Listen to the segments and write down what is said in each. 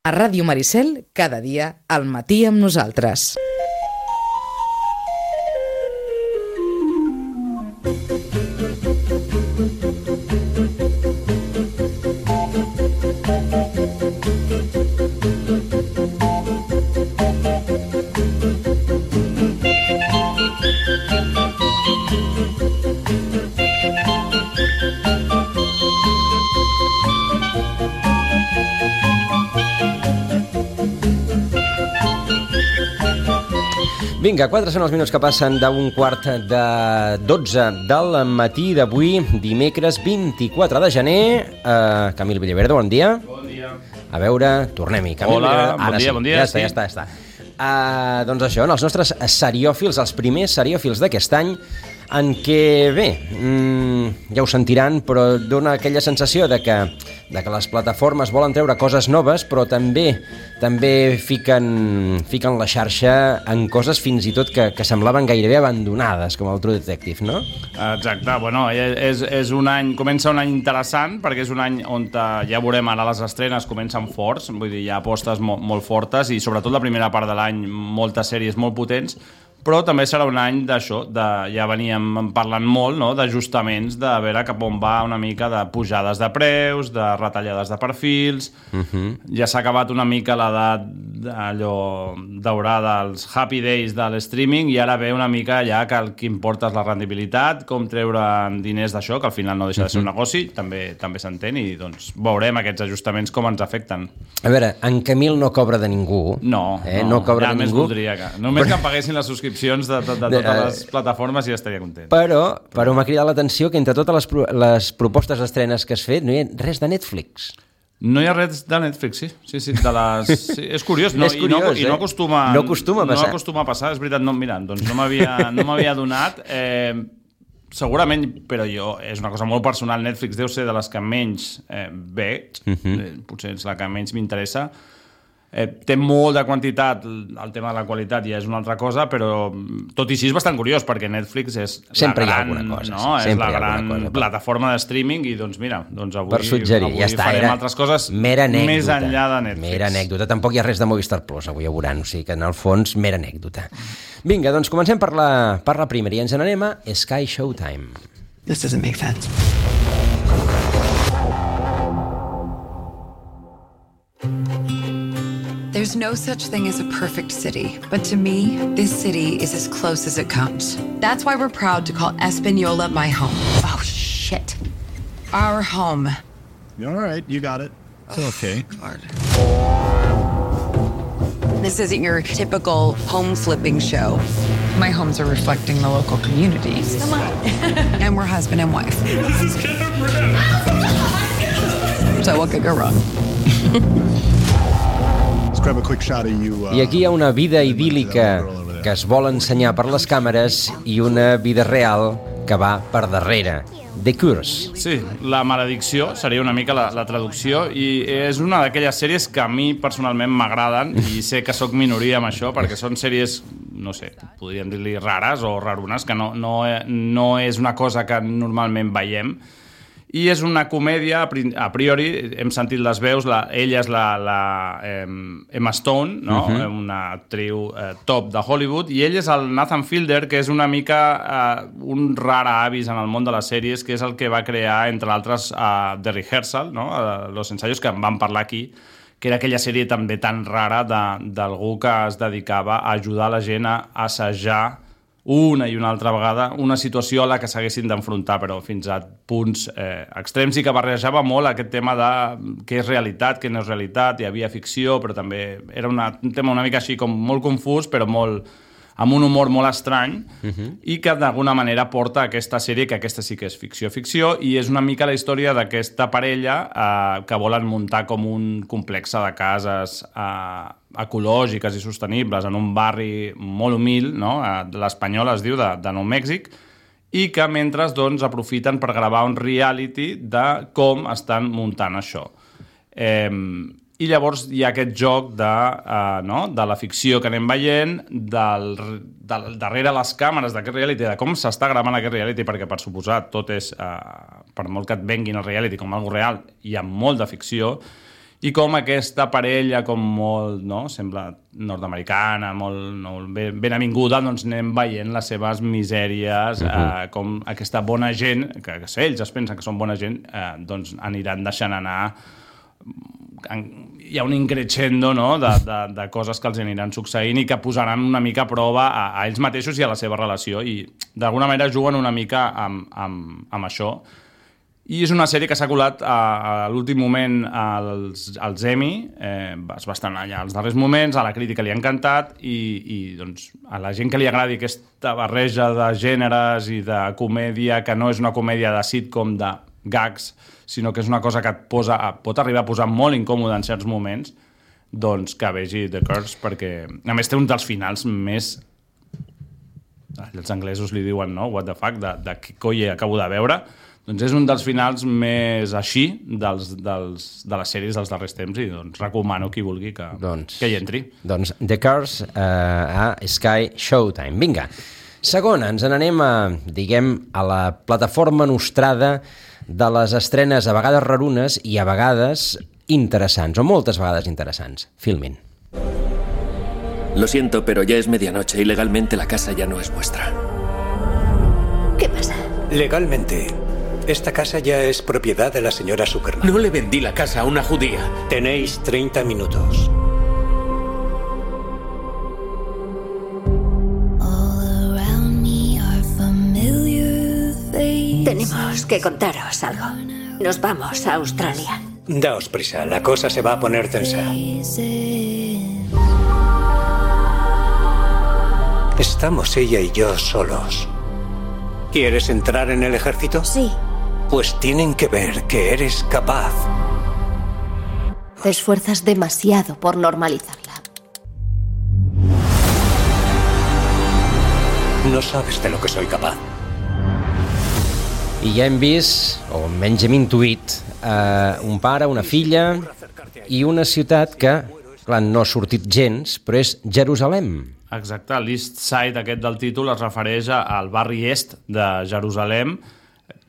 A Ràdio Maricel, cada dia, al matí amb nosaltres. Vinga, 4 són els minuts que passen d'un quart de 12 del matí d'avui, dimecres 24 de gener. Camil Villaverde, bon dia. Bon dia. A veure, tornem-hi. Hola, bon dia. Ja està. Doncs això, els nostres seriòfils, els primers seriòfils d'aquest any, en què, bé, ja ho sentiran, però dona aquella sensació de que les plataformes volen treure coses noves, però també fiquen la xarxa en coses fins i tot que semblaven gairebé abandonades, com el True Detective, no? Exacte, bueno, és un any, comença un any interessant, perquè és un any on ja veurem ara les estrenes comencen forts, vull dir, hi ha apostes molt fortes i sobretot la primera part de l'any moltes sèries molt potents, però també serà un any d'això, ja veníem parlant molt, no?, d'ajustaments, de veure cap on va una mica de pujades de preus, de retallades de perfils. Ja s'ha acabat una mica l'edat allò daurada, els happy days de l'streaming, i ara ve una mica ja que el que importa és la rendibilitat, com treure diners d'això, que al final no deixa de ser un negoci, també s'entén, i doncs veurem aquests ajustaments com ens afecten. A veure, en Camil no cobra de ningú. No cobra de ningú. Voldria que només que em paguessin les subscripcions de totes les plataformes i ja estaria content. Però m'ha cridat l'atenció que entre totes les propostes d'estrenes que has fet no hi ha res de Netflix. No hi ha res de Netflix, sí. Sí, és curiós. No acostuma a passar, és veritat. Doncs no m'havia donat. Segurament, però és una cosa molt personal, Netflix deu ser de les que menys veig, potser és la que menys m'interessa. Té molt de quantitat, el tema de la qualitat ja és una altra cosa, però tot i així és bastant curiós, perquè Netflix és sempre la gran, és la gran plataforma de streaming, i doncs mira, avui farem altres coses més enllà de Netflix. Mera anècdota, tampoc hi ha res de Movistar Plus, avui ja veuran, o sigui que en el fons mera anècdota. Vinga, doncs comencem per la primera i ens n'anem a Sky Showtime. This doesn't make sense. There's no such thing as a perfect city, but to me, this city is as close as it comes. That's why we're proud to call Espanola my home. Oh, shit. Our home. All right, you got it. It's okay. God. This isn't your typical home flipping show. My homes are reflecting the local communities. Come on. And we're husband and wife. This is Cameron. So what could go wrong? I aquí hi ha una vida idíl·lica que es vol ensenyar per les càmeres i una vida real que va per darrere. The Curse. Sí, La maledicció seria una mica la traducció, i és una d'aquelles sèries que a mi personalment m'agraden, i sé que sóc minoria amb això, perquè són sèries, no sé, podríem dir-li rares o rarunes, que no és una cosa que normalment veiem. I és una comèdia, a priori, hem sentit les veus, ella és la Emma Stone, no? Una actriu top de Hollywood, i ell és el Nathan Fielder, que és una mica un rar avis en el món de les sèries, que és el que va crear, entre altres, The Rehearsal, no? Los ensayos, que en vam parlar aquí, que era aquella sèrie també tan rara d'algú que es dedicava a ajudar la gent a assajar una i una altra vegada una situació a la que s'haguessin d'enfrontar, però fins a punts extrems, i que barrejava molt aquest tema de què és realitat, què no és realitat. Hi havia ficció, però també era un tema una mica així com molt confús, però amb un humor molt estrany, i que d'alguna manera porta aquesta sèrie, que aquesta sí que és ficció, i és una mica la història d'aquesta parella que volen muntar com un complex de cases ecològiques i sostenibles en un barri molt humil, no? L'Espanyola es diu, de Nou Mèxic, i que mentre doncs aprofiten per gravar un reality de com estan muntant això. I llavors hi ha aquest joc de la ficció que anem veient, darrere les càmeres d'aquest reality, de com s'està gravant aquest reality, perquè per suposat tot és, per molt que et venguin el reality com algo real, hi ha molt de ficció, i com aquesta parella com molt, no? Sembla nord-americana, molt ben avinguda, doncs anem veient les seves misèries, com aquesta bona gent, que ells es pensen que són bona gent, doncs aniran deixant anar. Hi ha un increscendo, no? de coses que els aniran succeint i que posaran una mica a prova a ells mateixos i a la seva relació, i d'alguna manera juguen una mica amb això. I és una sèrie que s'ha colat a l'últim moment als Emmy, es va estar allà als darrers moments, a la crítica li ha encantat i doncs, a la gent que li agradi aquesta barreja de gèneres i de comèdia, que no és una comèdia de sitcom de gags, sinó que és una cosa que pot arribar a posar molt incòmode en certs moments, doncs que vegi The Curse, perquè a més té un dels finals més... Els anglesos li diuen, no? What the fuck, de què coi acabo de veure. Doncs és un dels finals més així de les sèries dels darrers temps i doncs recomano qui vulgui que hi entri. Doncs The Curse a Sky Showtime. Vinga, segona, ens n'anem a la plataforma nostrada de les estrenes a vegades rarunes i a vegades interessants, o moltes vegades interessants. Filmin. Lo siento, pero ya es medianoche y legalmente la casa ya no es vuestra. ¿Qué pasa? Legalmente, esta casa ya es propiedad de la señora Zuckerman. No le vendí la casa a una judía. Tenéis 30 minutos. Tenemos que contaros algo. Nos vamos a Australia. Daos prisa, la cosa se va a poner tensa. Estamos ella y yo solos. ¿Quieres entrar en el ejército? Sí. Pues tienen que ver que eres capaz. Te esfuerzas demasiado por normalizarla. No sabes de lo que soy capaz. I ja hem vist, o menys hem intuït, un pare, una filla i una ciutat que, clar, no ha sortit gens, però és Jerusalem. Exacte, l'East Side aquest del títol es refereix al barri est de Jerusalem,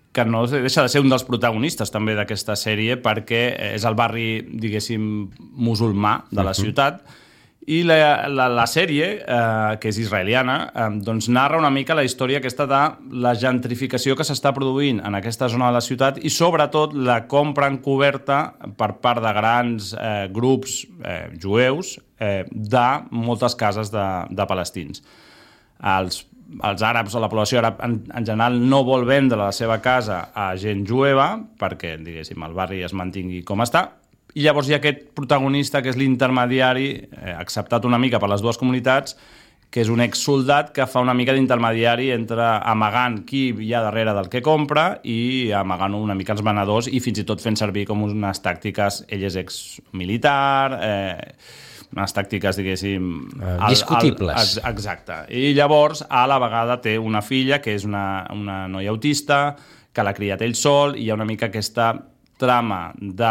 que no deixa de ser un dels protagonistes també d'aquesta sèrie, perquè és el barri, diguéssim, musulmà de la ciutat, i la sèrie, que és israeliana, doncs narra una mica la història aquesta de la gentrificació que s'està produint en aquesta zona de la ciutat i sobretot la compra encoberta per part de grans grups jueus de moltes cases de palestins. Els àrabs o la població àrab en general no vol vendre la seva casa a gent jueva perquè, diguéssim, el barri es mantingui com està. I llavors hi ha aquest protagonista que és l'intermediari, acceptat una mica per les dues comunitats, que és un exsoldat que fa una mica d'intermediari entre amagant qui hi ha darrere del que compra i amagant una mica els venedors i fins i tot fent servir com unes tàctiques, ell és exmilitar, unes tàctiques, diguéssim... discutibles. Exacte. I llavors, a la vegada, té una filla que és una noia autista, que l'ha criat ell sol, i hi ha una mica aquesta trama de,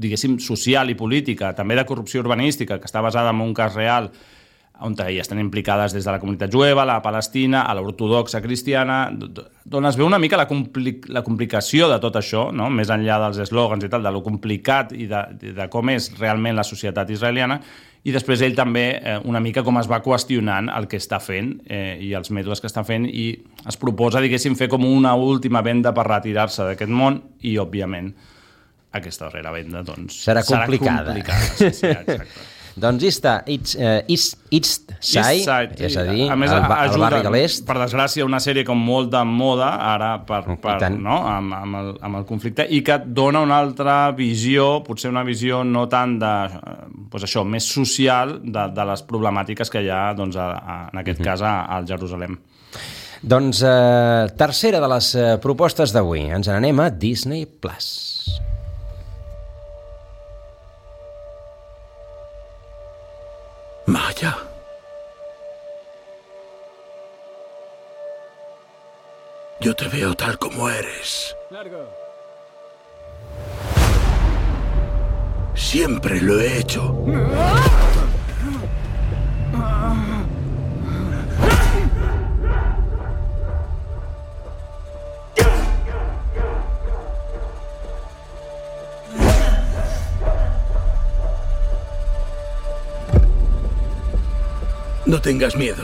diguéssim, social i política, també de corrupció urbanística, que està basada en un cas real on hi estan implicades des de la comunitat jueva, la palestina, a l'ortodoxa cristiana, d'on es veu una mica la complicació de tot això, no? Més enllà dels eslògans i tal, de lo complicat i de com és realment la societat israeliana, i després ell també una mica com es va qüestionant el que està fent i els mètodes que està fent, i es proposa, diguéssim, fer com una última venda per retirar-se d'aquest món, i òbviament aquesta darrera venda doncs, serà complicada. Sí, exacte. Doncs East Side, és a dir, el barri de l'est. Per desgràcia, una sèrie com molt de moda ara no? amb el conflicte, i que et dona una altra visió, potser una visió no tant de, doncs això, més social de les problemàtiques que hi ha, doncs, en aquest cas al Jerusalem. Doncs tercera de les propostes d'avui, ens n'anem a Disney Plus. Maya. Yo te veo tal como eres. Largo. Siempre lo he hecho. No tengas miedo.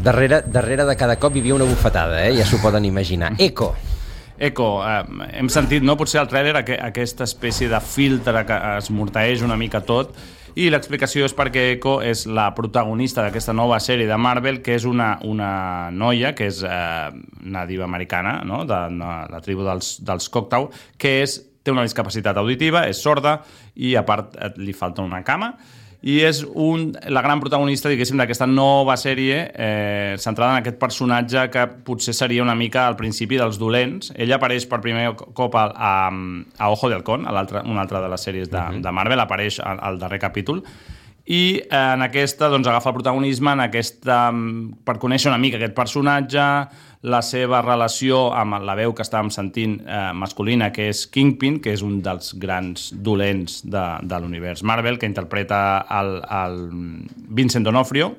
Darrere de cada cop hi havia una bufetada, ja s'ho poden imaginar. Echo, hem sentit, no? Potser al tràiler aquesta espècie de filtre que es mortaeix una mica tot, i l'explicació és perquè Echo és la protagonista d'aquesta nova sèrie de Marvel, que és una noia que és nativa americana, no? De la tribu dels Choctaw, que té una discapacitat auditiva, és sorda i a part li falta una cama, i és la gran protagonista, diguéssim, d'aquesta nova sèrie centrada en aquest personatge que potser seria una mica al principi dels dolents. Ella apareix per primer cop a Ojo de Halcón, una altra de les sèries de Marvel, apareix al darrer capítol, i en aquesta agafa el protagonisme per conèixer una mica aquest personatge, la seva relació amb la veu que estàvem sentint masculina, que és Kingpin, que és un dels grans dolents de l'univers Marvel, que interpreta el Vincent D'Onofrio,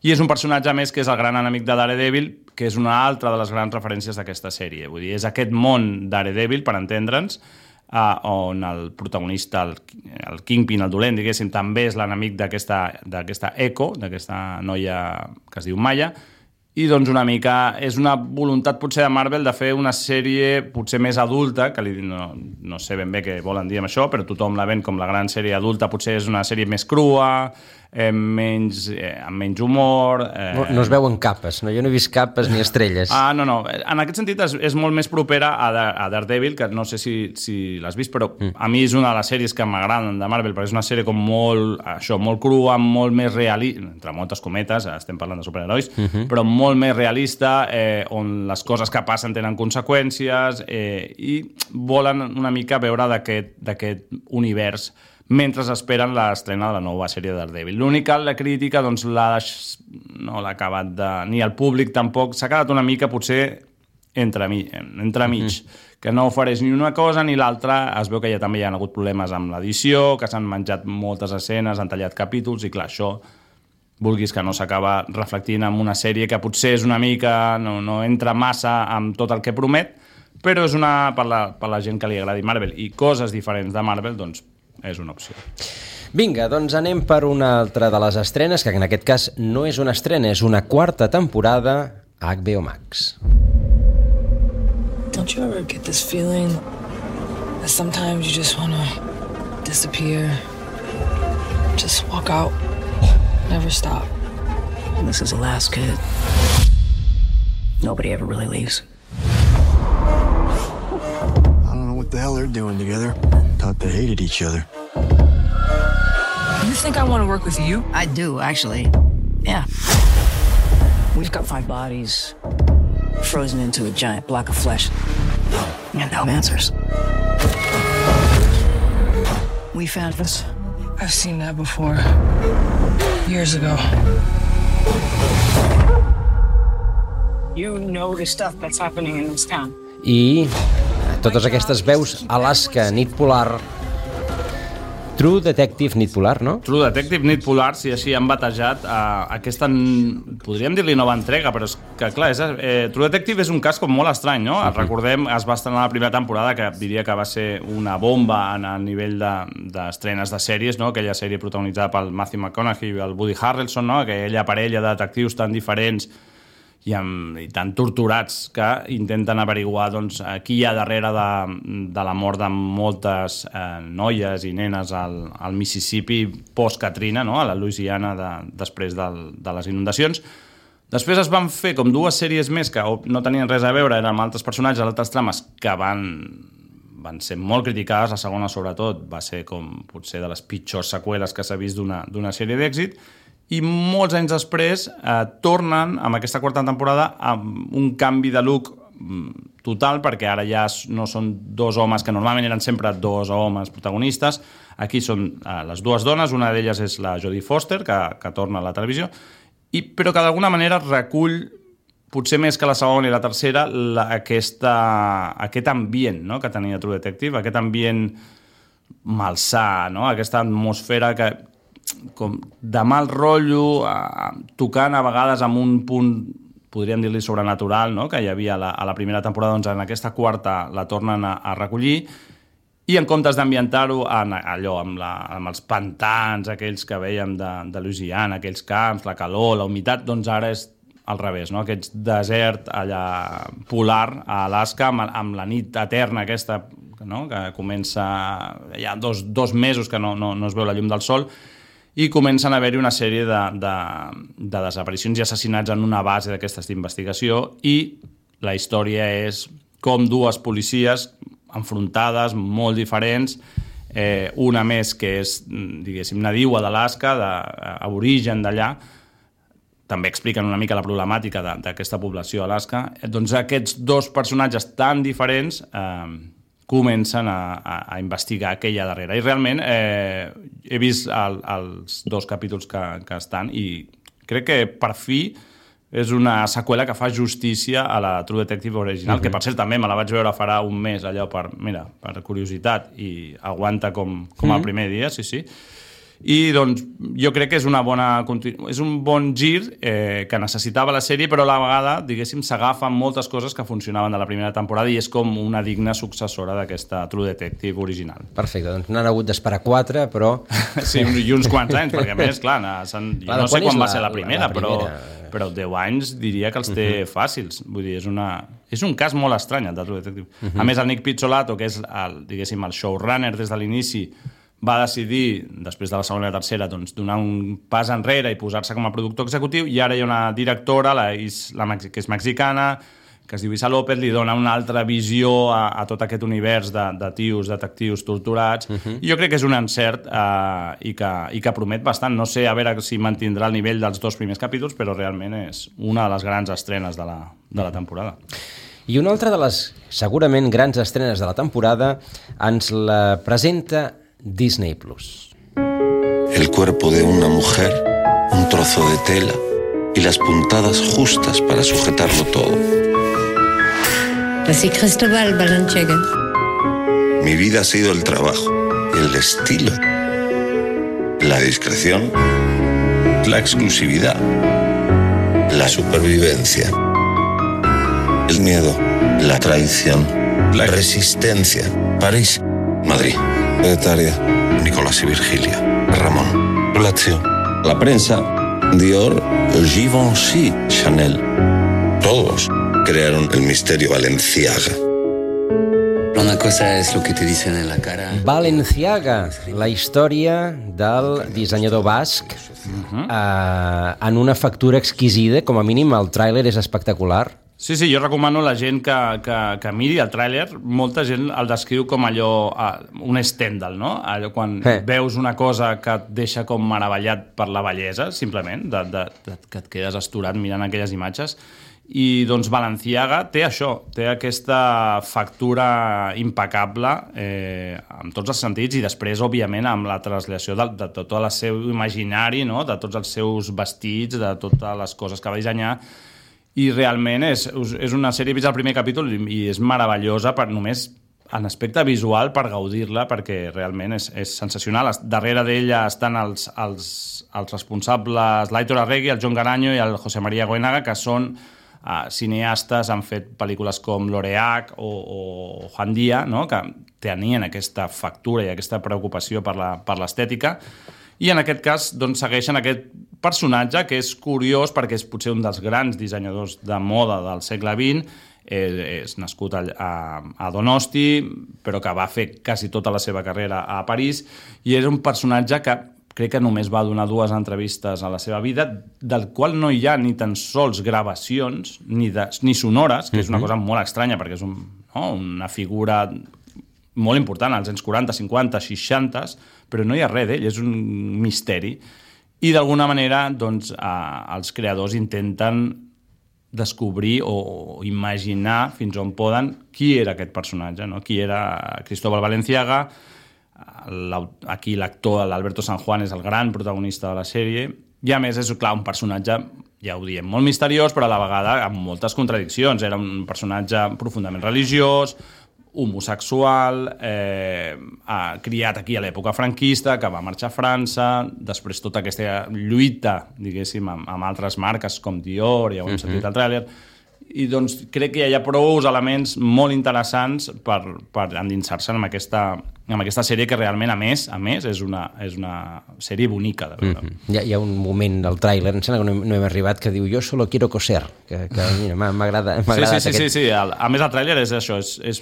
i és un personatge més que és el gran enemic de Daredevil, que és una altra de les grans referències d'aquesta sèrie. Vull dir, és aquest món Daredevil, per entendre'ns, on el protagonista, el Kingpin, el dolent, diguéssim, també és l'enemic d'aquesta Echo, d'aquesta noia que es diu Maya, i doncs una mica és una voluntat potser de Marvel de fer una sèrie potser més adulta, que no sé ben bé què volen dir amb això, però tothom la ven com la gran sèrie adulta, potser és una sèrie més crua, amb menys humor... No es veuen capes, no? Jo no he vist capes ni estrelles. No. En aquest sentit és molt més propera a Daredevil, que no sé si l'has vist, però a mi és una de les sèries que m'agraden de Marvel, perquè és una sèrie com molt crua, molt més realista, entre moltes cometes, estem parlant de superherois, però molt més realista, on les coses que passen tenen conseqüències, i volen una mica veure d'aquest univers mentre esperen l'estrena de la nova sèrie de Daredevil. L'única, la crítica, doncs no l'ha acabat ni el públic tampoc, s'ha quedat una mica potser entremig, que no ofereix ni una cosa ni l'altra. Es veu que ja també hi ha hagut problemes amb l'edició, que s'han menjat moltes escenes, han tallat capítols, i clar, això vulguis que no s'acaba reflectint en una sèrie que potser és una mica, no entra massa amb tot el que promet, però és per la gent que li agradi Marvel i coses diferents de Marvel, doncs és una opció. Vinga, doncs anem per una altra de les estrenes, que en aquest cas no és una estrena, és una quarta temporada a HBO Max. Don't you ever get this feeling that sometimes you just want to disappear, just walk out, never stop? This is Alaska. Nobody ever really leaves. I don't know what the hell they're doing together. Thought they hated each other. You think I want to work with you? I do, actually. Yeah. We've got 5 bodies frozen into a giant block of flesh. And no answers. We found this. I've seen that before. Years ago. You know the stuff that's happening in this town. I totes aquestes veus, Alaska, Nit Polar, True Detective Nit Polar, no? True Detective Nit Polar, si així han batejat aquesta, podríem dir-li nova entrega, però és que clar, True Detective és un cas com molt estrany, no? Recordem, es va estrenar la primera temporada, que diria que va ser una bomba a nivell d'estrenes de sèries, no? Aquella sèrie protagonitzada pel Matthew McConaughey i el Woody Harrelson, no? Aquella parella de detectius tan diferents i tan torturats que intenten averiguar qui hi ha darrere de la mort de moltes noies i nenes al Mississippi post-Katrina, no? A la Louisiana després de les inundacions. Després es van fer com 2 sèries més que no tenien res a veure, eren amb altres personatges, altres trames, que van ser molt criticades. La segona, sobretot, va ser com potser de les pitjors seqüeles que s'ha vist d'una sèrie d'èxit. I molts anys després tornen amb aquesta quarta temporada amb un canvi de look total, perquè ara ja no són 2 homes, que normalment eren sempre 2 homes protagonistes. Aquí són les 2 dones, una d'elles és la Jodie Foster, que torna a la televisió, però que d'alguna manera recull, potser més que la segona i la tercera, aquest ambient, no?, que tenia True Detective, aquest ambient malsà, no?, aquesta atmosfera com de mal rotllo, tocant a vegades amb un punt, podríem dir-li sobrenatural, no?, que hi havia a la primera temporada, doncs en aquesta quarta la tornen a recollir, i en comptes d'ambientar-ho allò amb els pantans aquells que veiem de Louisiana, aquells camps, la calor, la humitat, doncs ara és al revés, no? Aquest desert allà polar a Alaska amb la nit eterna aquesta, no? Que comença hi ha dos mesos que no es veu la llum del sol, i comencen a haver-hi una sèrie de desaparicions i assassinats en una base d'aquestes d'investigació, i la història és com dues policies enfrontades, molt diferents, una més que és, diguéssim, nadiua d'Alaska, d'origen d'allà, també expliquen una mica la problemàtica d'aquesta població a Alaska, doncs aquests dos personatges tan diferents comencen a investigar què hi ha darrere. I realment he vist els 2 capítols que estan, i crec que per fi és una seqüela que fa justícia a la True Detective original, que per cert també me la vaig veure farà un mes, allò per curiositat, i aguanta com el primer dia, sí. I doncs jo crec que és un bon gir que necessitava la sèrie, però a la vegada, diguéssim, s'agafen moltes coses que funcionaven de la primera temporada i és com una digna successora d'aquesta True Detective original. Perfecte, doncs n'han hagut d'esperar 4, però... Sí, i uns quants anys, perquè a més, clar, jo no sé quan va ser la primera, però 10 anys diria que els té fàcils. Vull dir, és un cas molt estrany, el de True Detective. A més, el Nick Pizzolatto, que és diguéssim el showrunner des de l'inici, va decidir, després de la segona i la tercera, doncs, donar un pas enrere i posar-se com a productor executiu, i ara hi ha una directora, que és mexicana, que es diu Isa López, li dona una altra visió a tot aquest univers de tios, detectius torturats, i jo crec que és un encert i que promet bastant. No sé a veure si mantindrà el nivell dels 2 primers capítols, però realment és una de les grans estrenes de la temporada. I una altra de les segurament grans estrenes de la temporada ens la presenta Disney Plus. El cuerpo de una mujer, un trozo de tela y las puntadas justas para sujetarlo todo. Así Cristóbal Balenciaga. Mi vida ha sido el trabajo, el estilo, la discreción, la exclusividad, la supervivencia, el miedo, la traición, la resistencia. París, Madrid, Etaria, Nicolás y Virgilia, Ramón, Lazio, la prensa, Dior, Givenchy, Chanel. Todos crearon el misterio Balenciaga. Una cosa es lo que te dicen en la cara. Balenciaga, la història del dissenyador basc en una factura exquisida, com a mínim el tràiler és espectacular. Sí, jo recomano a la gent que miri el tràiler. Molta gent el descriu com allò, un Stendhal, no? Allò quan veus una cosa que et deixa com meravellat per la bellesa, simplement, que et quedes asturat mirant aquelles imatges. I doncs Balenciaga té això, té aquesta factura impecable en tots els sentits, i després, òbviament, amb la translació de tot el seu imaginari, no? De tots els seus vestits, de totes les coses que va dissenyar. I realment és una sèrie, he vist el primer capítol i és meravellosa només en aspecte visual per gaudir-la, perquè realment és sensacional. Darrere d'ella estan els responsables, l'Aitor Arregui, el John Garanyo i el José María Goenaga, que són cineastes, han fet pel·lícules com L'Oreac o Juan Díaz, no? Que tenien aquesta factura i aquesta preocupació per l'estètica. I en aquest cas doncs, segueixen aquest personatge que és curiós perquè és potser un dels grans dissenyadors de moda del segle XX, és nascut a Donosti, però que va fer quasi tota la seva carrera a París, i és un personatge que crec que només va donar 2 entrevistes a la seva vida, del qual no hi ha ni tan sols gravacions ni sonores, que és una cosa molt estranya perquè és una figura molt important als anys 40, 50, 60, però no hi ha res d'ell, és un misteri. I d'alguna manera doncs, els creadors intenten descobrir o imaginar fins on poden qui era aquest personatge, no? Qui era Cristóbal Balenciaga. Aquí l'actor, l'Alberto San Juan, és el gran protagonista de la sèrie, i a més és, clar, un personatge, ja ho diem, molt misteriós, però a la vegada amb moltes contradiccions. Era un personatge profundament religiós, homosexual, criat aquí a l'època franquista, que va marxar a França, després tota aquesta lluita, diguéssim, amb altres marques com Dior, ja ho hem sentit al tràiler, i doncs crec que hi ha prou elements molt interessants per endinsar-se en aquesta sèrie que realment, a més, és una sèrie bonica de veure. Hi ha un moment del tràiler, em sembla que no hem arribat, que diu, jo solo quiero coser, que mira, m'agrada Sí. A més, el tràiler és això, és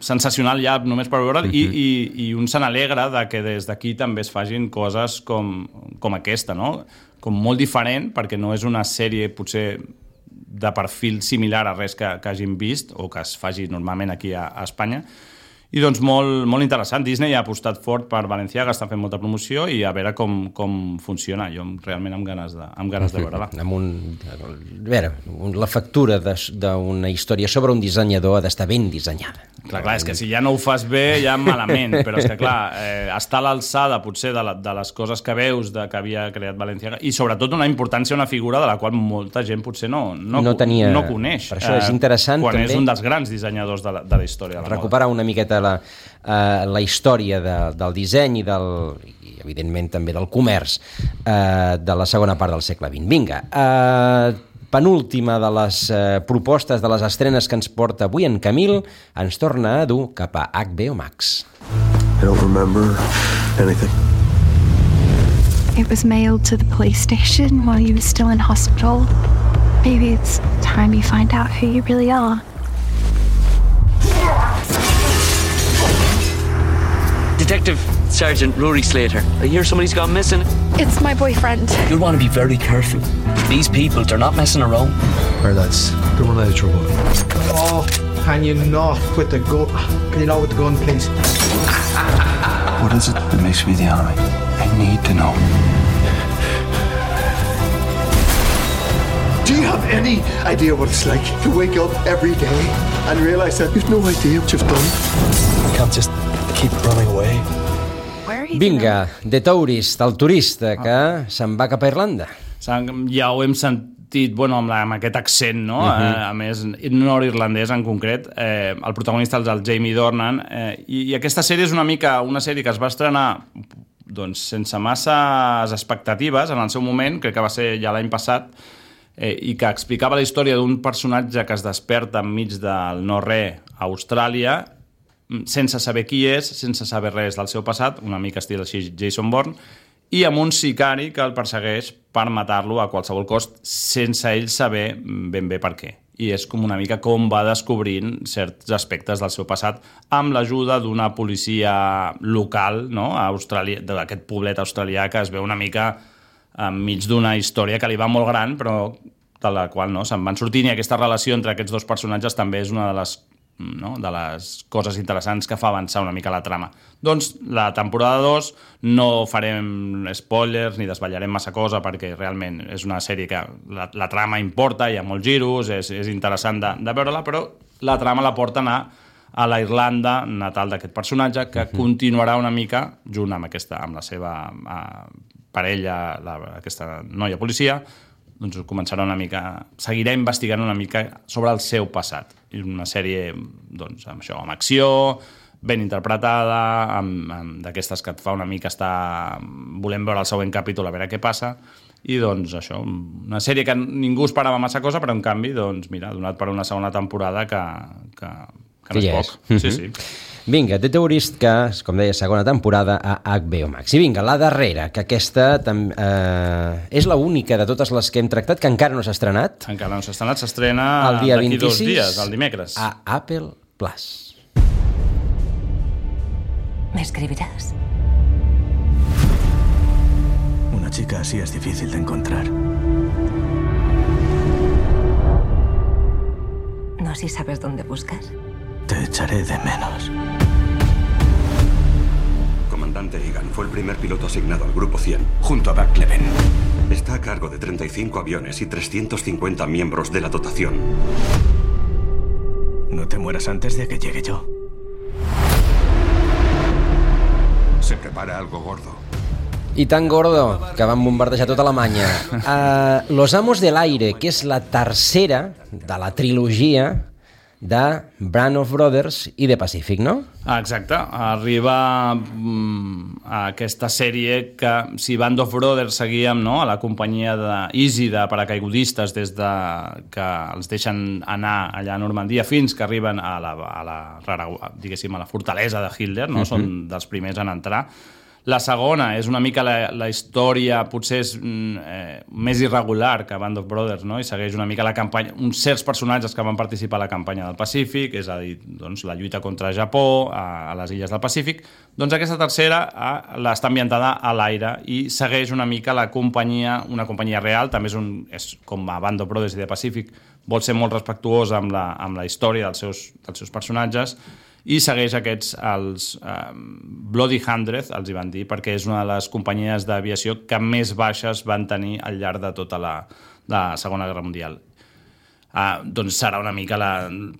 sensacional ja només per veure'l i un se n'alegra de que des d'aquí també es fagin coses com aquesta, no? Com molt diferent, perquè no és una sèrie potser de perfil similar a res que hagin vist o que es faci normalment aquí a Espanya. I doncs molt interessant. Disney ha apostat fort per Balenciaga, està fent molta promoció i a veure com funciona. Jo realment amb ganes de veure-la. La factura d'una història sobre un dissenyador ha d'estar ben dissenyada. Clar, és que si ja no ho fas bé, ja malament, però és que clar, està a l'alçada potser de les coses que veus que havia creat Balenciaga i sobretot una importància, una figura de la qual molta gent potser no coneix. Per això és interessant quan també, és un dels grans dissenyadors de la història de la recuperar una miqueta la història del disseny i evidentment també del comerç de la segona part del segle XX. Vinga, penúltima de les propostes de les estrenes que ens porta avui en Camil, ens torna a dur cap a HBO Max. I don't remember anything. It was mailed to the police station while you were still in hospital. Maybe it's time you find out who you really are. Detective Sergeant Rory Slater. I hear somebody's gone missing. It's my boyfriend. You'll want to be very careful. These people, they're not messing around. Our lads, don't want any trouble. Oh, can you not with the gun? Can you not with the gun, please? What is it that makes me the enemy? I need to know. Do you have any idea what it's like to wake up every day and realize that you've no idea what you've done? You can't just keep running away. Vinga, The Tourist, el turista que se'n va cap a Irlanda. Ja ho hem sentit, amb aquest accent, no? A més, nord-irlandès en concret. El protagonista és el Jamie Dornan. I aquesta sèrie és una mica una sèrie que es va estrenar sense masses expectatives en el seu moment, crec que va ser ja l'any passat, i que explicava la història d'un personatge que es desperta enmig del no-res a Austràlia, sense saber qui és, sense saber res del seu passat, una mica estil així Jason Bourne, i amb un sicari que el persegueix per matar-lo a qualsevol cost, sense ell saber ben bé per què. I és com una mica com va descobrint certs aspectes del seu passat amb l'ajuda d'una policia local, no? A Austràlia, d'aquest poblet australià que es veu una mica enmig d'una història que li va molt gran, però de la qual se'n van sortint, i aquesta relació entre aquests dos personatges també és una de les coses interessants que fa avançar una mica la trama. Doncs la temporada 2 no farem spoilers ni desvetllarem massa cosa perquè realment és una sèrie que la trama importa, hi ha molts giros, és interessant de veure-la, però la trama la porta a a la Irlanda natal d'aquest personatge que continuarà una mica junt amb la seva parella, aquesta noia policia, doncs començarà una mica, seguirà investigant una mica sobre el seu passat. És una sèrie amb acció, ben interpretada, d'aquestes que et fa una mica estar volent veure el següent capítol a veure què passa, i doncs això, una sèrie que ningú esperava massa cosa, però en canvi, doncs mira, donat per una segona temporada que no és poc. Sí, sí. Vinga, The Tourist, que, com deia, segona temporada a HBO Max. I vinga, la darrera, que aquesta és l'única de totes les que hem tractat que encara no s'ha estrenat. Encara no s'ha estrenat, s'estrena d'aquí 2 dies, el dimecres. A Apple Plus. ¿Me escribirás? Una chica así es difícil de encontrar. No, si sabes dónde buscar. Te echaré de menos. Comandante Egan fue el primer piloto asignado al Grupo 100, junto a Buck Leven. Está a cargo de 35 aviones y 350 miembros de la dotación. No te mueras antes de que llegue yo. Se prepara algo gordo. I tan gordo que van bombardejar tota Alemanya. Los Amos del Aire, que és la tercera de la trilogia de Band of Brothers i The Pacific, no? Exacte, arriba a aquesta sèrie que si Band of Brothers seguíem, no?, a la companyia d'Easy de paracaigudistes des de que els deixen anar allà a Normandia fins que arriben a la fortalesa de Hitler, no? Són dels primers en entrar. La segona és una mica la història, potser és més irregular que Band of Brothers, no? I segueix una mica la campanya, uns certs personatges que van participar a la campanya del Pacífic, és a dir, doncs, la lluita contra Japó a les illes del Pacífic. Doncs aquesta tercera està ambientada a l'aire i segueix una mica la companyia, una companyia real, també és com a Band of Brothers i The Pacific, vol ser molt respectuós amb la història dels seus personatges, i segueix els Bloody Hundred, els hi van dir, perquè és una de les companyies d'aviació que més baixes van tenir al llarg de tota la Segona Guerra Mundial. Doncs serà una mica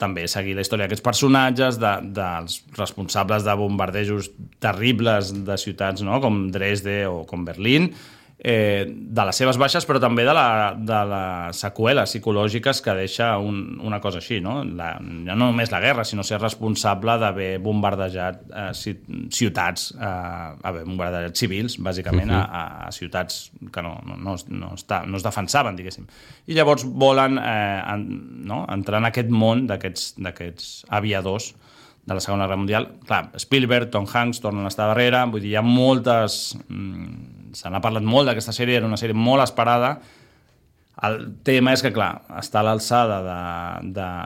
també seguir la història d'aquests personatges, dels responsables de bombardejos terribles de ciutats, no?, com Dresde o com Berlín, de les seves baixes, però també de les seqüeles psicològiques que deixa una cosa així, no? No només la guerra, sinó ser responsable d'haver bombardejat ciutats, haver bombardejat civils, bàsicament, a ciutats que no es defensaven, diguéssim. I llavors volen entrar en aquest món d'aquests aviadors de la Segona Guerra Mundial. Clar, Spielberg, Tom Hanks tornen a estar darrere, vull dir, hi ha moltes... Se n'ha parlat molt d'aquesta sèrie, era una sèrie molt esperada. El tema és que, clar, està a l'alçada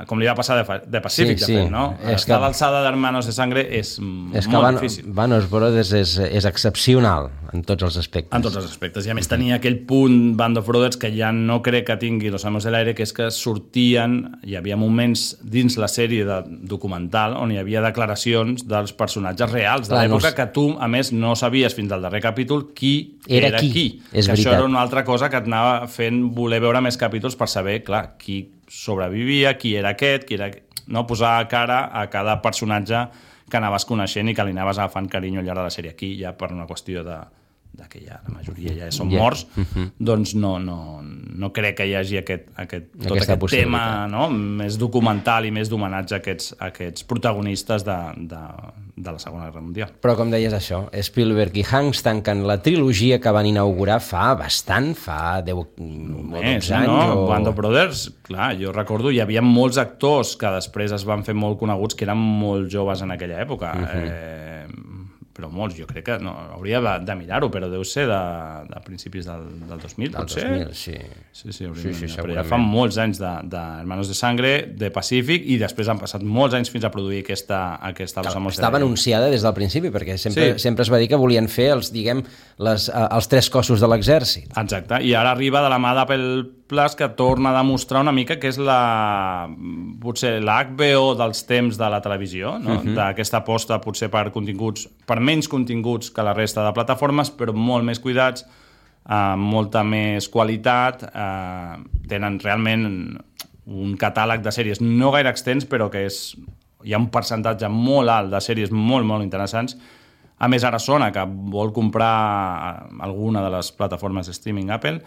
com li va passar de Pacific, de fet, no? Està a l'alçada d'Hermanos de Sangre és molt difícil. Band of Brothers és excepcional en tots els aspectes. En tots els aspectes. I a més tenia aquell punt Band of Brothers que ja no crec que tingui Los Amos de l'Aire, que és que hi havia moments dins la sèrie de documental on hi havia declaracions dels personatges reals de l'època que tu, a més, no sabies fins al darrer capítol qui era qui. Que això era una altra cosa que et anava fent voler veure més capítols per saber, clar, qui sobrevivia, qui era aquest, no? Posar cara a cada personatge que anaves coneixent i que li anaves agafant carinyo al llarg de la sèrie. Aquí ja per una qüestió que ja la majoria ja són morts, doncs no crec que hi hagi tot aquest tema, no?, més documental i més d'homenatge a aquests protagonistes de la Segona Guerra Mundial. Però com deies això, Spielberg i Hanks tanquen la trilogia que van inaugurar fa 10 o 12 anys. Band of Brothers, clar, jo recordo, hi havia molts actors que després es van fer molt coneguts que eren molt joves en aquella època. Però molts, jo crec que hauria de mirar-ho, però deu ser de principis del 2000, potser? Del 2000, sí. Sí, però ja fa molts anys d'Hermanos de Sangre, de Pacífic, i després han passat molts anys fins a produir aquesta Los Amos de Estava anunciada des del principi, perquè sempre es va dir que volien fer els 3 cossos de l'exèrcit. Exacte, i ara arriba de la mà d'Apple Plus, que torna a demostrar una mica que és potser la HBO dels temps de la televisió, no? D'aquesta aposta potser per menys continguts que la resta de plataformes, però molt més cuidats, molta més qualitat, tenen realment un catàleg de sèries no gaire extens, però que hi ha un percentatge molt alt de sèries molt, molt interessants. A més, ara sona que vol comprar alguna de les plataformes de streaming Apple.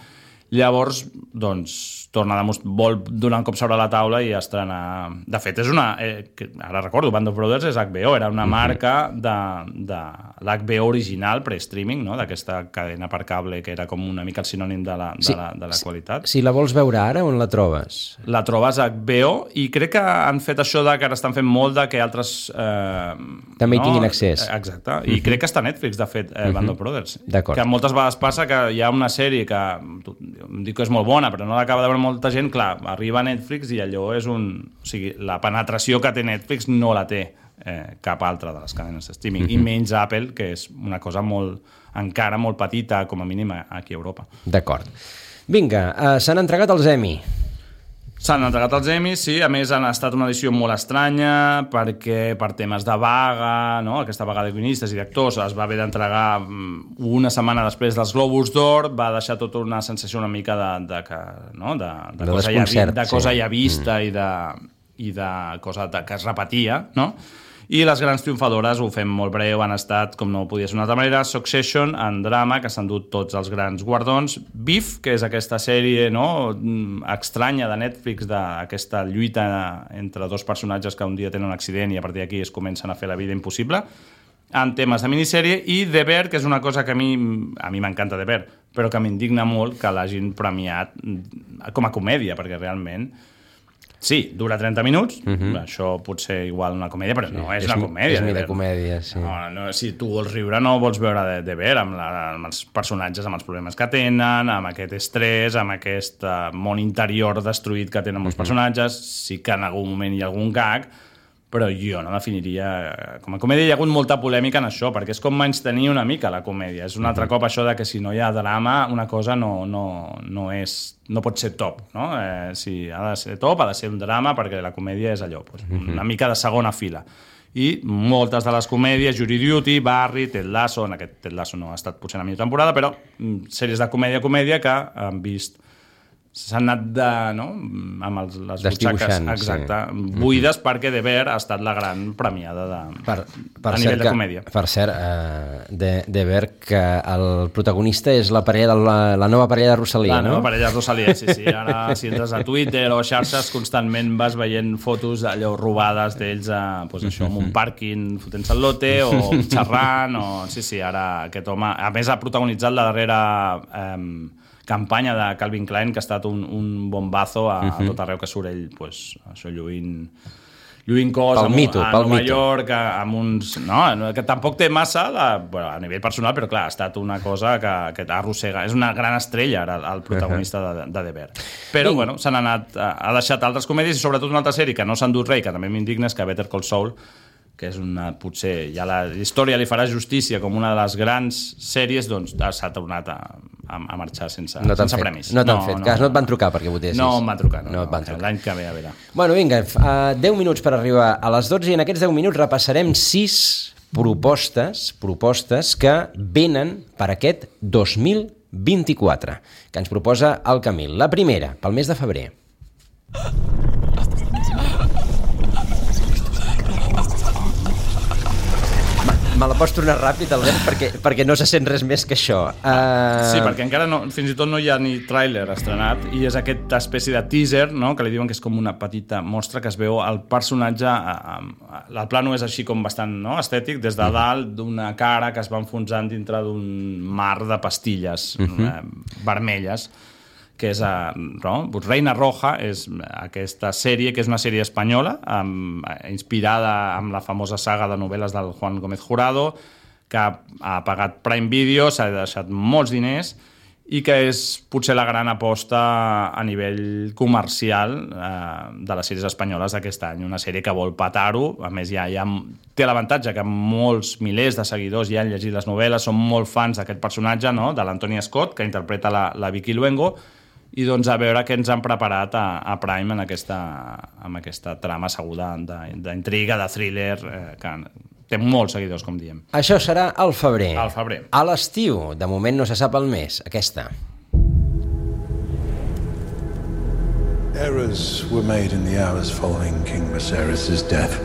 Llavors, doncs, vol donar un cop sobre la taula i estrenar... De fet, és ara recordo, Band of Brothers és HBO, era una marca de l'HBO original, pre-streaming, no?, d'aquesta cadena per cable que era com una mica el sinònim de la qualitat. Si la vols veure ara, on la trobes? La trobes a HBO i crec que han fet això que ara estan fent molt de que altres... també hi tinguin accés. Exacte, i crec que està a Netflix, de fet, Band of Brothers. D'acord. Que moltes vegades passa que hi ha una sèrie que em dic que és molt bona, però no l'acaba de veure molta gent, clar, arriba a Netflix i allò és o sigui, la penetració que té Netflix no la té cap altra de les cadenes de streaming, i menys Apple, que és una cosa encara molt petita, com a mínim aquí a Europa. D'acord. Vinga, s'han entregat els Emmy. S'han entregat els Emmys, sí. A més, han estat una edició molt estranya perquè per temes de vaga, no?, aquesta vaga de guionistes i d'actors es va haver d'entregar una setmana després dels Globus d'Or, va deixar tota una sensació una mica de cosa ja vista i de cosa que es repetia, no? I les grans triomfadores, ho fem molt breu, han estat, com no podia ser d'una altra manera, Succession, en drama, que s'han dut tots els grans guardons, Beef, que és aquesta sèrie estranya de Netflix, d'aquesta lluita entre dos personatges que un dia tenen un accident i a partir d'aquí es comencen a fer la vida impossible, en temes de minissèrie, i The Bear, que és una cosa que a mi m'encanta The Bear, però que m'indigna molt que l'hagin premiat com a comèdia, perquè realment sí, dura 30 minuts, això pot ser igual una comèdia, però no és una comèdia. És mi de comèdia, sí. Si tu vols riure no vols veure de ver amb els personatges, amb els problemes que tenen, amb aquest estrès, amb aquest món interior destruït que tenen els personatges. Sí que en algun moment hi ha algun gag, però jo no definiria com a comèdia. Hi ha hagut molta polèmica en això, perquè és com menystenir una mica la comèdia. És un altre cop això de que si no hi ha drama, una cosa no pot ser top, no? Si ha de ser top, ha de ser un drama, perquè la comèdia és allò, una mica de segona fila. I moltes de les comèdies, Jury Duty, Barry, Ted Lasso, en aquest Ted Lasso no ha estat potser la millor temporada, però sèries de comèdia que han vist s'han anat amb les butxaques buides, perquè The Bear ha estat la gran premiada a nivell de comèdia. Per cert, The Bear, que el protagonista és la nova parella de Rosalia, no? La nova parella de Rosalia, sí. Ara, si entres a Twitter o xarxes, constantment vas veient fotos allò robades d'ells en un pàrquing fotent-se el lote o xerrant. Sí, ara aquest home, a més, ha protagonitzat la darrera campanya de Calvin Klein, que ha estat un bombazo a tot arreu que surt ell, això lluint cos a Nova York, amb uns... que tampoc té massa a nivell personal, però clar, ha estat una cosa que arrossega. És una gran estrella ara el protagonista de The Bear. Però s'han anat, ha deixat altres comèdies i sobretot una altra sèrie que no s'ha endut res, que també m'indigna, és que Better Call Saul, que és potser ja la història li farà justícia com una de les grans sèries, doncs s'ha tornat a marxar sense premis. No t'han fet cas, no et van trucar perquè votessis. No em van trucar, l'any que ve, a veure. Bueno, vinga, 10 minuts per arribar a les 12 i en aquests 10 minuts repassarem 6 propostes que venen per aquest 2024, que ens proposa el Camil. La primera, pel mes de febrer. Me la pots tornar ràpid, Albert, perquè no se sent res més que això. Sí, perquè encara fins i tot no hi ha ni tràiler estrenat i és aquesta espècie de teaser, que li diuen que és com una petita mostra que es veu el personatge. El plano és així com bastant estètic, des de dalt d'una cara que es va enfonsant dintre d'un mar de pastilles vermelles, que és Reina Roja, és aquesta sèrie, que és una sèrie espanyola, inspirada en la famosa saga de novel·les del Juan Gómez Jurado, que ha pagat Prime Video, s'ha deixat molts diners, i que és potser la gran aposta a nivell comercial de les sèries espanyoles d'aquest any. Una sèrie que vol petar-ho, a més ja té l'avantatge que molts milers de seguidors ja han llegit les novel·les, són molt fans d'aquest personatge, de l'Antonia Scott, que interpreta la Vicky Luengo, i doncs a veure què ens han preparat a Prime amb aquesta trama asseguda d'intriga, de thriller, que té molts seguidors, com diem. Això serà al febrer. Al febrer. A l'estiu, de moment no se sap el mes, aquesta. Errors were made in the hours following King Viserys' death.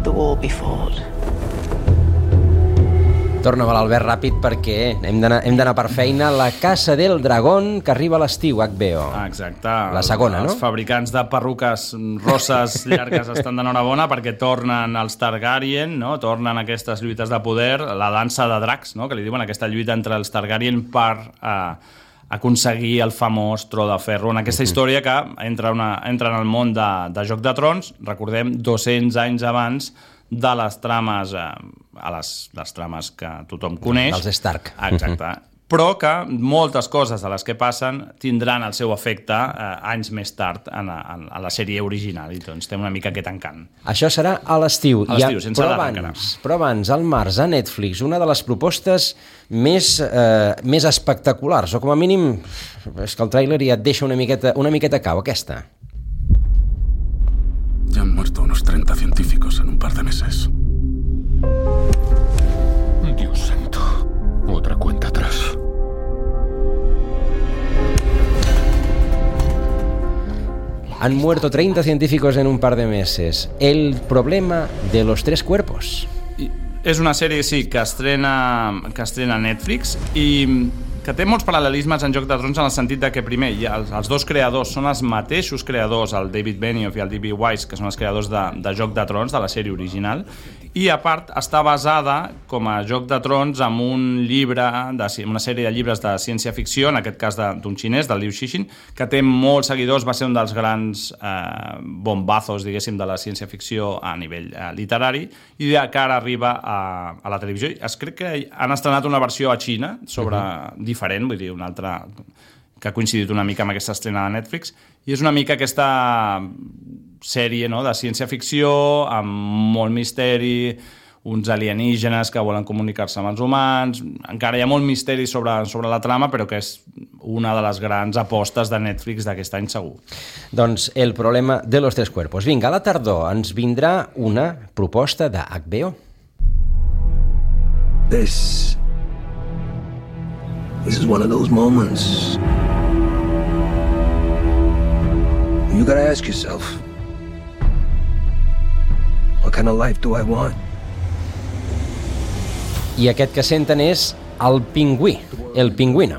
The war be fought. Torna a l'Albert ràpid perquè hem d'anar per feina. La Casa del Dragón, que arriba a l'estiu, HBO. Exacte. La segona, no? Els fabricants de perruques rosses llargues estan d'enhorabona perquè tornen els Targaryen, tornen aquestes lluites de poder, la dansa de dracs, que li diuen aquesta lluita entre els Targaryen per aconseguir el famós tro de ferro. En aquesta història que entra en el món de Joc de Trons, recordem, 200 anys abans de les trames les trames que tothom coneix. Dels Stark. Exacte. Però que moltes coses de les que passen tindran el seu efecte anys més tard en la sèrie original, i doncs té una mica aquest encant. Això serà a l'estiu. A l'estiu, sense data encara. Però abans, al març, a Netflix, una de les propostes més espectaculars, o com a mínim, és que el tràiler ja et deixa una miqueta cau, aquesta. Ya han muerto unos 30 científicos en un par de meses. Dios santo. Otra cuenta atrás. Han muerto 30 científicos en un par de meses. El problema de los 3 cuerpos. És una sèrie, sí, que estrena Netflix i que té molts paral·lelismes en Joc de Trons en el sentit de que, primer, els dos creadors són els mateixos creadors, el David Benioff i el D.B. Weiss, que són els creadors de Joc de Trons, de la sèrie original, i a part està basada com a Joc de Trons en un llibre, una sèrie de llibres de ciència-ficció, en aquest cas d'un xinès, del Liu Cixin, que té molts seguidors, va ser un dels grans bombazos, diguéssim, de la ciència-ficció a nivell literari, i que ara arriba a la televisió. Crec que han estrenat una versió a Xina diferent, vull dir, una altra que ha coincidit una mica amb aquesta estrena de Netflix, i és una mica aquesta sèrie de ciència-ficció amb molt misteri, uns alienígenes que volen comunicar-se amb els humans. Encara hi ha molt misteri sobre la trama, però que és una de les grans apostes de Netflix d'aquest any segur. Doncs el problema de los 3 cuerpos. Vinga, a la tardor ens vindrà una proposta de HBO. This is one of those moments you gotta ask yourself, what kind of life do I want? I aquest que senten és el pingüí, el pingüino.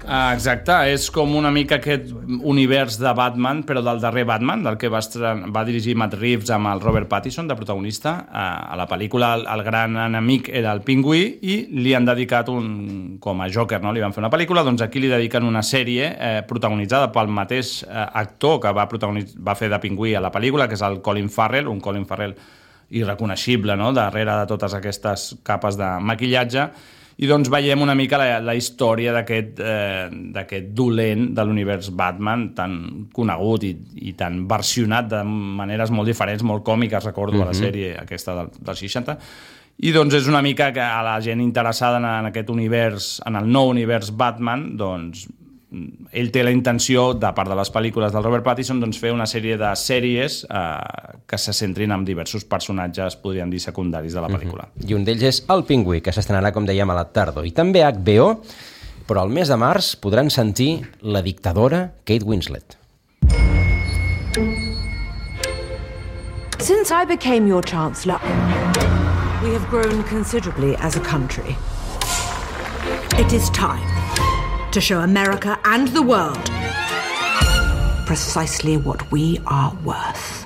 Exacte, és com una mica aquest univers de Batman, però del darrer Batman, del que va dirigir Matt Reeves amb el Robert Pattinson de protagonista. A la pel·lícula el gran enemic era el pingüí i li han dedicat com a Joker, no? Li van fer una pel·lícula, doncs aquí li dediquen una sèrie protagonitzada pel mateix actor que va fer de pingüí a la pel·lícula, que és el Colin Farrell, un Colin Farrell irreconeixible, no? Darrere de totes aquestes capes de maquillatge. I doncs veiem una mica la història d'aquest dolent de l'univers Batman, tan conegut i tan versionat de maneres molt diferents, molt còmiques, recordo, a la sèrie aquesta dels 60. I doncs és una mica que a la gent interessada en aquest univers, en el nou univers Batman, doncs ell té la intenció, de part de les pel·lícules del Robert Pattinson, doncs fer una sèrie de sèries que se centrin en diversos personatges, podríem dir, secundaris de la pel·lícula. I un d'ells és El pingüí, que s'estrenarà, com dèiem, a la tardor. I també HBO, però al mes de març podran sentir la dictadora Kate Winslet. Since I became your Chancellor, we have grown considerably as a country. It is time to show America and the world precisely what we are worth.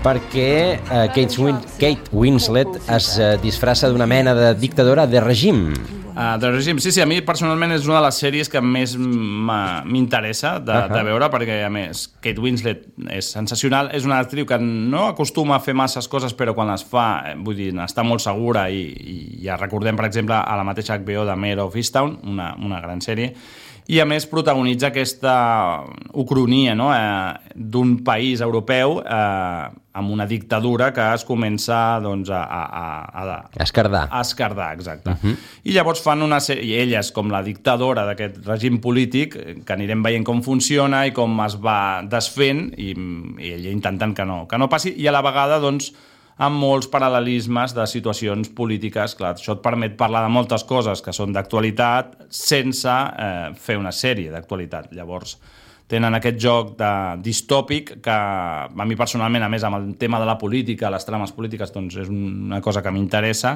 Perquè Kate Winslet es disfressa d'una mena de dictadora de règim. De règim, sí, a mi personalment és una de les sèries que més m'interessa de veure, perquè a més Kate Winslet és sensacional, és una actriu que no acostuma a fer masses coses, però quan les fa, vull dir, està molt segura i ja recordem, per exemple, a la mateixa HBO de Mare of Easttown, una gran sèrie, i a més protagonitza aquesta ucronia, no? D'un país europeu amb una dictadura que es comença doncs, a esquerdar, exacte. I llavors fan una sèrie, i ella és com la dictadora d'aquest règim polític, que anirem veient com funciona i com es va desfent, i ella intentant que no passi, i a la vegada doncs amb molts paral·lelismes de situacions polítiques. Clar, això et permet parlar de moltes coses que són d'actualitat sense fer una sèrie d'actualitat. Llavors tenen aquest joc distòpic que a mi personalment, a més amb el tema de la política, les trames polítiques, doncs és una cosa que m'interessa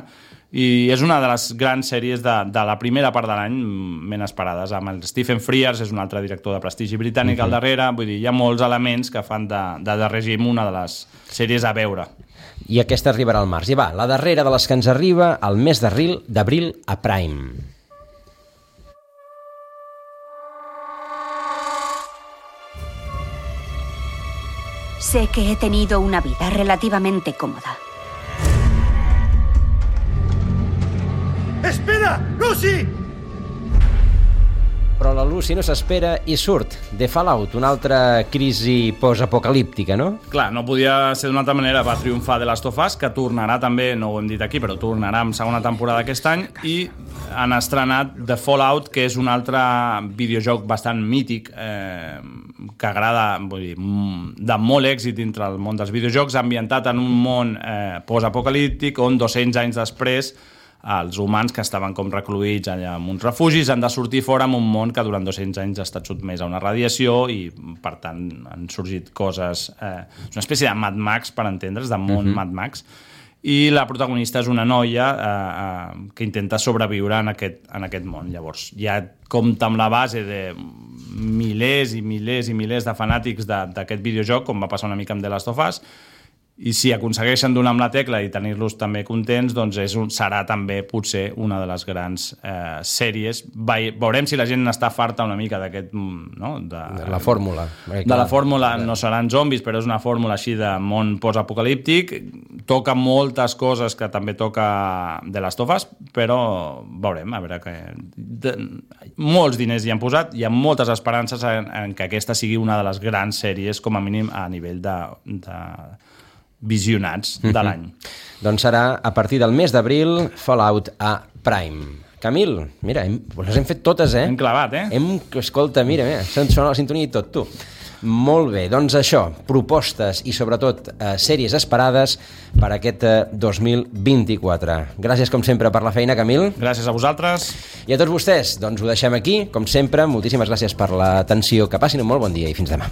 i és una de les grans sèries de la primera part de l'any ben esperades. Amb el Stephen Frears, és un altre director de prestigi britànic al darrere, vull dir, hi ha molts elements que fan de règim una de les sèries a veure. I aquesta arribarà al març. I va, la darrera de les que ens arriba al mes d'abril a Prime. Sé que he tenido una vida relativamente cómoda. ¡Espera! ¡Lucy! Però la Lucy no s'espera i surt de Fallout, una altra crisi postapocalíptica, no? Clar, no podia ser d'una altra manera. Va triomfar The Last of Us, que tornarà també, no ho hem dit aquí, però tornarà amb segona temporada aquest any, i han estrenat The Fallout, que és un altre videojoc bastant mític, que agrada, vull dir, de molt èxit entre el món dels videojocs, ambientat en un món postapocalíptic, on 200 anys després els humans que estaven com recluïts allà en uns refugis han de sortir fora en un món que durant 200 anys ha estat sotmès a una radiació i, per tant, han sorgit coses... és una espècie de Mad Max, per entendre's, de món Mad Max, i la protagonista és una noia que intenta sobreviure en aquest món. Llavors, ja compta amb la base de milers i milers i milers de fanàtics d'aquest videojoc, com va passar una mica amb The Last of Us, i si aconsegueixen donar amb la tecla i tenir-los també contents, doncs serà també potser una de les grans sèries. Veurem si la gent n'està farta una mica d'aquest... No? De la fórmula. De la fórmula, no seran zombis, però és una fórmula així de món postapocalíptic. Toca moltes coses que també toca The Last of Us, però veurem, a veure que... Molts diners hi han posat, hi ha moltes esperances en que aquesta sigui una de les grans sèries, com a mínim a nivell de visionats de l'any. Doncs serà a partir del mes d'abril Fallout a Prime. Camil, mira, les hem fet totes, Hem clavat, Escolta, mira, sona la sintonia i tot, tu. Molt bé, doncs això, propostes i sobretot sèries esperades per aquest 2024. Gràcies, com sempre, per la feina, Camil. Gràcies a vosaltres. I a tots vostès, doncs ho deixem aquí, com sempre. Moltíssimes gràcies per l'atenció. Que passin un molt bon dia i fins demà.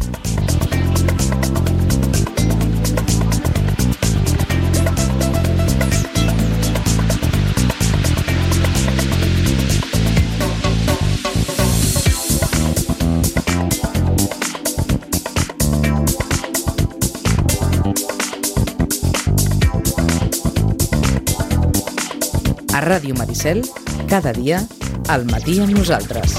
A Ràdio Maricel, cada dia, al matí amb nosaltres.